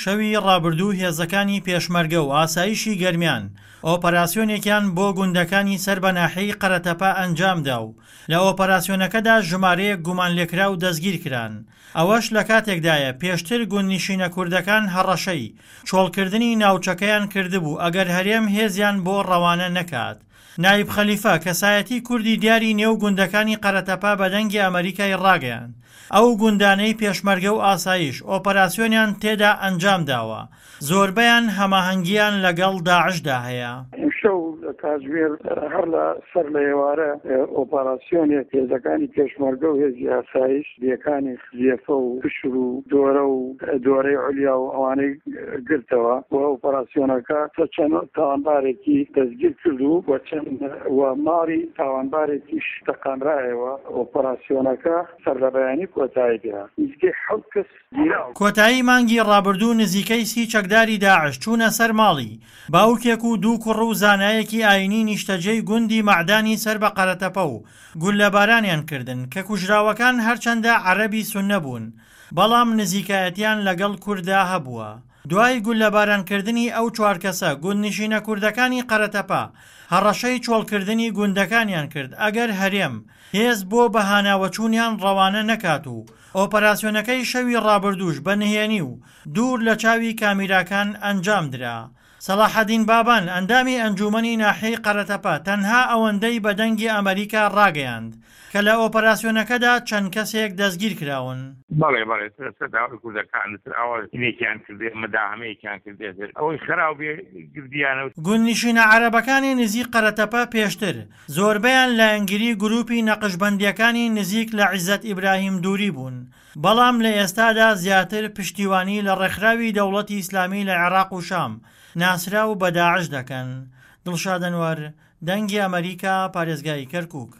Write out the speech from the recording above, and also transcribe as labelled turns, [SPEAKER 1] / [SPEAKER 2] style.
[SPEAKER 1] شەوی ڕابردوو هێزەکانی پێشمەرگە و ئاسایشی گەرمیان ئۆپەراسیۆنێکیان بۆ گوندەکانی سەر بە ناحیەی قەرەتەپە ئەنجامدا و لە ئۆپەراسیۆنەکەدا ژمارەیەک گومانلێکراو دەستگیرکران. ئەوەش لەکاتێکدایە پێشتر گوندنشینە کوردەکان هەڕەشەی چۆڵکردنی ناوچەکەیان کردبوو ئەگەر هەرێم هێزیان بۆ ڕەوانە نەکات. نایب خەلیفە، کەسایەتی کوردی دیاری نێو گوندەکانی قەرەتەپە بە دەنگی ئەمەریکای ڕاگەیاند، ئەو گوندانەی پێشمەرگە و ئاسایش ئۆپەراسیۆنیان تێدا ئەنجامداوە، زۆربەیان هەماهەنگییان لەگەڵ داعشدا هەیە.
[SPEAKER 2] ئیمشەو لە کاتژمێر هەر لە سەر لە ئێوارە ئۆپاراسیۆنێک هێزەکانی پێشمەرگە و هێزی ئاسایش دێکانی خزێفە و پشر و دۆرە و دۆرەی عولیا و ئەوانەی گرتەوە و ئۆپەراسیۆنەکە چەند تاوانبارێکی دەستگیر کرد و و چەند و ماڵی تاوانبارێکیش تەقانرایەوە. ئۆپەراسیۆنەکە سەرلەبەیانی کۆتایی پێهات. نزیکەی حەوت کەس گیراون.
[SPEAKER 1] کۆتایی مانگی ڕابردوو نزیکەی 30 چەکداری داعش چوونە سەر ماڵی باوکێک و دوو کوڕ و زانایەکی ئایینی نیشتەجێی گوندی مەعدانی سەر بە قەرەتەپە و گوللەبارانیان کردن کە کوژراوەکان هەرچەندە عەرەبی سوننە بوون بەڵام نزیکایەتیان لەگەڵ کورددا هەبووە. دوای گوللەبارانکردنی ئەو چوار کەسە گوندنشینە کوردەکانی قەرەتەپە هەڕەشەی چۆڵکردنی گوندەکانیان کرد ئەگەر هەرێم هێز بۆ بەهاناوەچوونیان ڕەوانە نەکات و ئۆپەراسیۆنەکەی شەوی ڕابردووش بە نهێنی و دوور لە چاوی کامیراکان ئەنجامدرا. سەڵاحەدین بابان، ئەندامی ئەنجوومەنی ناحیەی قەرەتەپە تەنها ئەوەندەی بە دەنگی ئەمەریکا ڕاگەیاند کە لە ئۆپەراسیۆنەکەدا چەند کەسێک دەستگیرکراون.
[SPEAKER 3] بەڵێ بەڵێ سەر داوای کوردەکان تر ئاوا هینێکیان کردێ مداهەمەیەکیان کردێ تر ئەوەی خەراو بێ گردیانە.
[SPEAKER 1] گوندنشینە عەرەبەکانی نزیک قەرەتەپە پێشتر زۆربەیان لایەنگری گروپی نەقشبەندییەکانی نزیک لە عیزەت ئیبراهیم دوری بوون، بەڵام لە ئێستادا زیاتر پشتیوانی لە ڕێکخراوی دەوڵەتی ئیسلامی لە عێراق و شام، ناسراو بە داعش دەکەن. دڵشاد ئەنوەر، دەنگی ئەمەریکا، پارێزگای کەرکوک.